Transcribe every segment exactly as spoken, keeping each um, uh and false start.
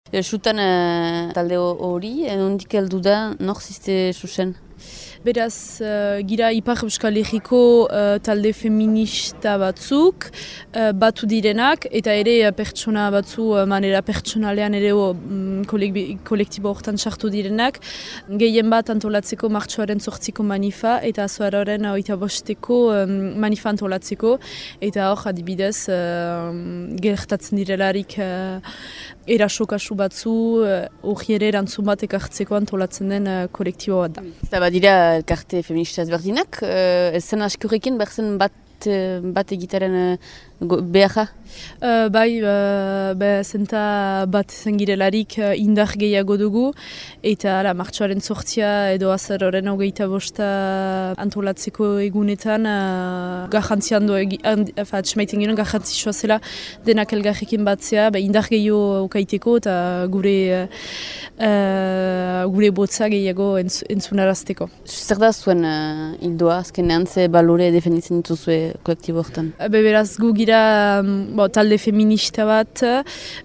Sutan uh, talde hori, nondik heldu da, nor ziste zuzen? Beraz, uh, gira Ipar Euskal Herriko uh, talde feminista batzuk, uh, batu direnak, eta ere uh, pertsona batzu, uh, manera pertsonalean ere um, kolektibo horretan sartu direnak, gehien bat antolatzeko martxoaren zortziko manifa, eta azoararen oita bosteko um, manifa antolatzeko, eta hor adibidez, uh, gertatzen direlarik uh, erasokasu batzu, hori uh, ere erantzun bat ekartzeko antolatzen den uh, kolektibo bat da. Eta badira elkarte feminista ezberdinak, uh, zen askurekin berzen bat, uh, bat egitaren uh, beharra? Uh, bai, uh, be, zenta bat zengirelarik uh, indar gehiago dugu, eta ala, martxoaren sortzia edo azaroren hogeita bosta antolatzeko egunetan uh, garrantzian du, atxemaiten ginen garrantzitsua zela denak elgarrekin batzea, be, indar gehiago ukaiteko eta gure, uh, gure botza gehiago entz, entzunarazteko. Zer da zuen uh, hildoa, azkenean ze balore defenditzen dituzue kolektibo horretan? Be, beraz, gu gira Bo, talde feminista bat,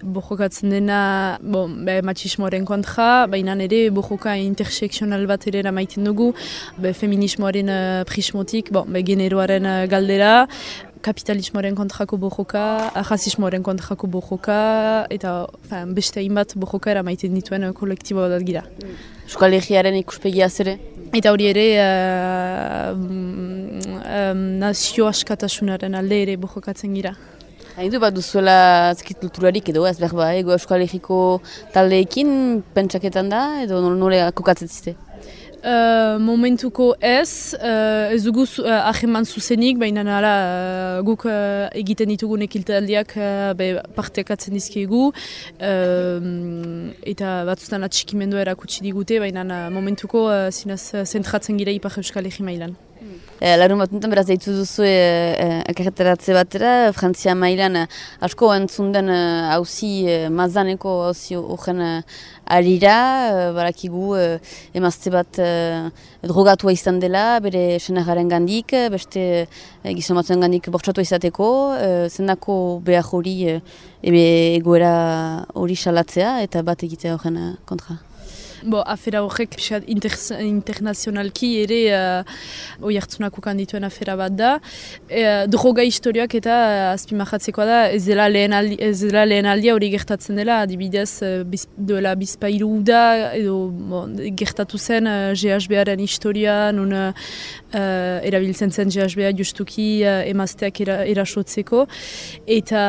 bojokatzen dena bo, be, matxismoaren kontra, baina ere bojoka interseksional bat ere maiten dugu, be, feminismoaren uh, prismotik, bo, be, generoaren uh, galdera, kapitalismoaren kontrako bojoka, rasismoaren kontrako bojoka, eta fin, beste hainbat bojoka eramaiten dituen uh, kolektibo bat gira. Euskal Herriaren ikuspegia zere? Eta hori ere uh, um, nazio askatasunaren alde ere bojokatzen gira. Haidu bat duzuela kulturarik edo ez behar ba, ego Euskal Herriko taldeekin pentsaketan da edo nole kokatzen ziste? Uh, momentuko ez, uh, ez dugu uh, aheman zuzenik, baina nara uh, guk uh, egiten ditugun ekiltaldiak uh, partekatzen dizkiegu, uh, eta batzutan atxikimendu erakutsi digute, baina uh, momentuko uh, zinez uh, zentratzen gira Ipar Euskal Herri mailan. E, Larun bat nuntan beraz deitu duzu elkarretaratze e, batera, Frantzia mailan e, asko entzun den hauzi e, mazaneko hauzi horren e, arira, e, barakigu e, emazte bat e, drogatua izan dela, bere senarraren gandik, beste e, gizon batzuen gandik bortxatua izateko, e, zendako behar hori e, egoera hori salatzea eta bat egitea horren e, kontra. Bo, afera horrek inter, internazionalki ere uh, oihartzunako kandituen afera bat da. E, droga historiak eta uh, azpimarratzekoa da ez dela lehen aldi, ez dela lehen aldia hori gertatzen dela, adibidez uh, biz, doela bizpairu da edo bon, gertatu zen uh, G H B-aren historia, nun uh, erabiltzen zen G H B-a justuki uh, emazteak era, erasotzeko. Eta,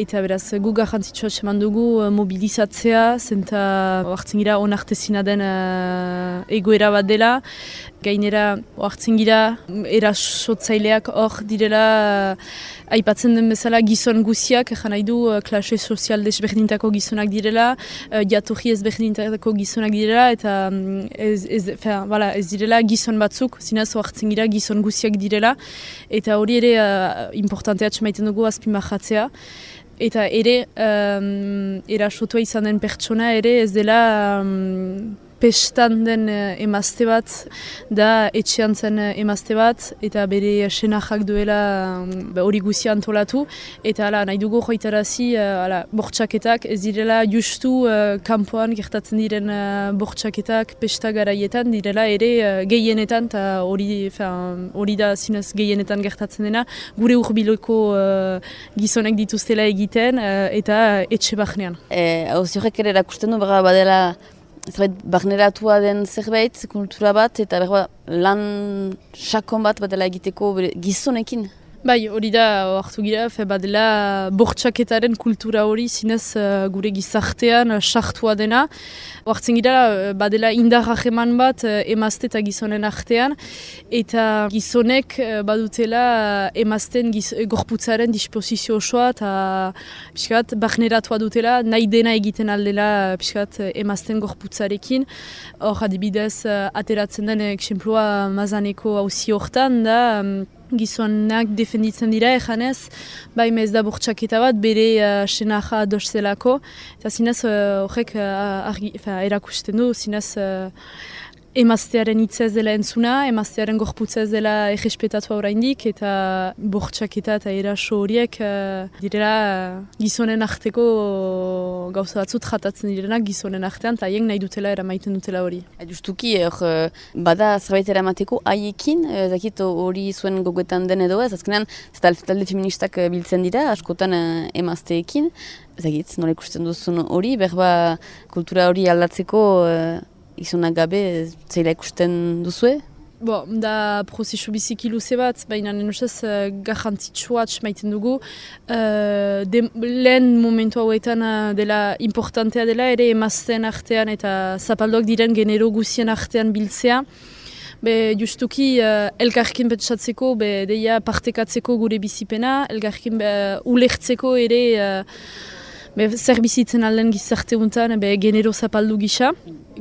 eta beraz, gu garrantzitsua eman dugu uh, mobilizatzea, zenta hartzen gira onak artezina den uh, egoera bat dela. Gainera, hartzen gira, erasotzaileak hor direla, uh, aipatzen den bezala gizon guziak, jan nahi du, uh, klase sozial desberdintako gizonak direla, uh, jatorri ezberdintako gizonak direla, eta um, ez, ez, fin, voilà, ez direla gizon batzuk, zinez hartzen gira gizon guziak direla, eta hori ere uh, importantea txemaiten dugu azpimarratzea. Eta ere, um, erasotua izan den pertsona ere ez dela um, pestan den uh, emazte bat, da etxean zen uh, emazte bat, eta bere senajak duela hori um, guzia antolatu. Eta ala, nahi dugu joitarazi, uh, bortxaketak ez direla justu uh, kanpoan gertatzen diren uh, bortxaketak pesta garaietan, direla ere uh, gehienetan, eta hori da zinez gehienetan gertatzen dena, gure urbiloko uh, gizonek dituztela egiten uh, eta etxe bahnean. Hauzi horrek ere erakusten du, bera badela zerbait barneratua den zerbait, kultura bat, eta berba lan sakon bat badela egiteko gizonekin. Bai, hori da, hartu gira, fe badela bortxaketaren kultura hori zinez uh, gure gizartean uh, sartua dena. Hartzen gira, uh, badela indar hageman bat uh, emazte eta gizonen artean, eta gizonek uh, badutela uh, emazten giz, gorputzaren disposizio osoa, eta piskat, barneratua dutela, nahi dena egiten aldela piskat, emazten gorputzarekin. Hor, adibidez, uh, ateratzen den eksemplua mazaneko hauzi hortan da, um, gizonak defenditzen dira ejanez, bai ez da bortxaketa bat bere uh, senaja adoszelako, eta zinez horrek uh, uh, erakusten du, zinez uh, emaztearen hitza ez dela entzuna, emaztearen gorputza ez dela errespetatua oraindik, eta bortxaketa eta eraso horiek uh, direla uh, gizonen arteko gauza batzut jatatzen direnak gizonen artean, eta haiek nahi dutela eramaiten dutela hori. Justuki, hor, bada zerbait eramateko haiekin, zakit hori zuen gogoetan den edo ez, azkenean talde feministak biltzen dira, askotan emazteekin, zakit, nola ikusten duzun hori, berba kultura hori aldatzeko izunak gabe, zeila ikusten duzue? Bo, da prozesu biziki luze bat, baina nenusaz uh, garrantzitsua maiten dugu. Uh, de, lehen momentu hauetan uh, dela importantea dela ere emazten artean eta zapaldoak diren genero guzien artean biltzea. Be, justuki uh, elkarrekin pentsatzeko, be, deia partekatzeko gure bizipena, elkarrekin uh, ulertzeko ere uh, be, zer bizitzen alden gizarte untan, be, genero zapaldu gisa.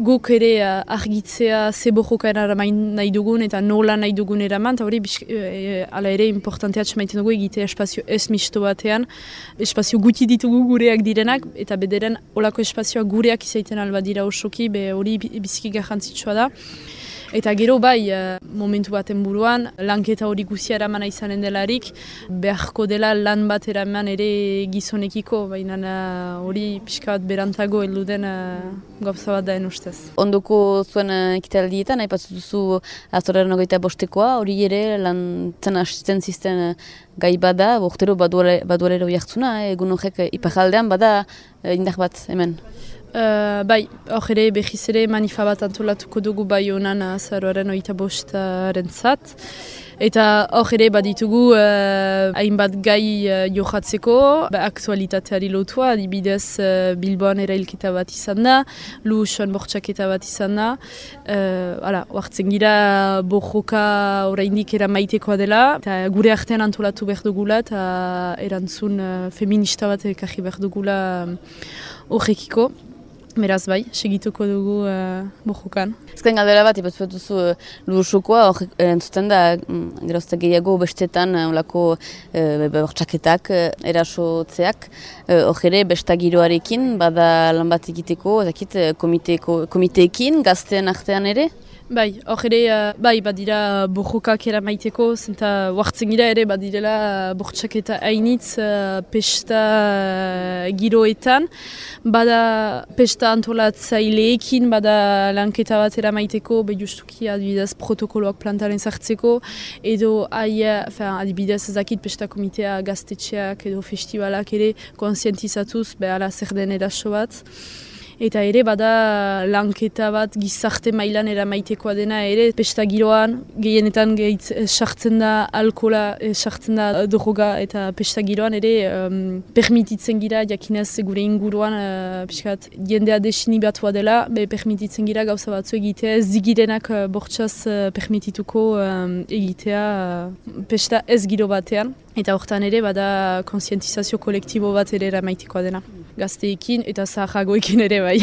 Guk ere uh, argitzea ze bojoka eramain nahi dugun eta nola nahi dugun eraman, eta hori e, ala ere importantea maiten dugu egitea espazio ez misto batean, espazio guti ditugu gureak direnak, eta bederen olako espazioa gureak izaiten alba dira osoki, be hori biziki garrantzitsua da. Eta gero bai, momentu baten buruan, lanketa hori guzia eramana izanen delarik, beharko dela lan bat eraman ere gizonekiko, baina hori pixka bat berantago heldu den gauza bat daen ustez. Ondoko zuen ekitaldietan, aipatzen duzu azoraren ogeita bostekoa, hori ere lan zen asisten zisten gai bada, bortero badualero jartzuna, egun horrek iparaldean bada indar bat hemen. Uh, bai, hor ere behiz ere manifa bat antolatuko dugu bai honan azaroaren oita bostaren zat. Eta hor ere baditugu uh, hainbat gai uh, johatzeko, ba, aktualitateari lotua, adibidez uh, Bilboan erailketa bat izan da, Luxon bortxaketa bat izan da. Uh, hala, oartzen gira borroka oraindik eramaitekoa dela, eta gure artean antolatu behar dugula, eta erantzun uh, feminista bat ekarri behar dugula horrekiko. Um, Beraz bai, segituko dugu uh, bojukan. Ezken galdera bat, ipatzu bat duzu uh, Luxokoa, hor entzuten da, mm, gerozta gehiago bestetan, olako uh, bortxaketak, uh, erasotzeak, hor uh, ere bestagiroarekin, bada lan bat egiteko, ezakit, komiteeko, komiteekin, gazteen artean ere? Bai, hor ere, uh, bai, badira borrokak eramaiteko, zenta huartzen gira ere badirela bortxaketa hainitz uh, pesta uh, giroetan, bada pesta antolatzaileekin, bada lanketa bat eramaiteko, be justuki adibidez protokoloak plantaren zartzeko, edo aia, adibidez ezakit pesta komitea gaztetxeak edo festivalak ere konsientizatuz, be ala zer den eraso bat. Eta ere bada lanketa bat gizarte mailan eramaitekoa dena ere pesta giroan, gehienetan gehitz sartzen da alkola, sartzen da droga eta pesta giroan ere um, permititzen gira jakinez gure inguruan uh, piskat, jendea desinibatua dela, be permititzen gira gauza batzu egitea, zigirenak uh, bortxaz uh, permitituko um, egitea uh, pesta ez giro batean. Eta hortan ere bada konsientizazio kolektibo bat ere eramaitekoa dena. Gazteekin eta zaharragoekin ere bai.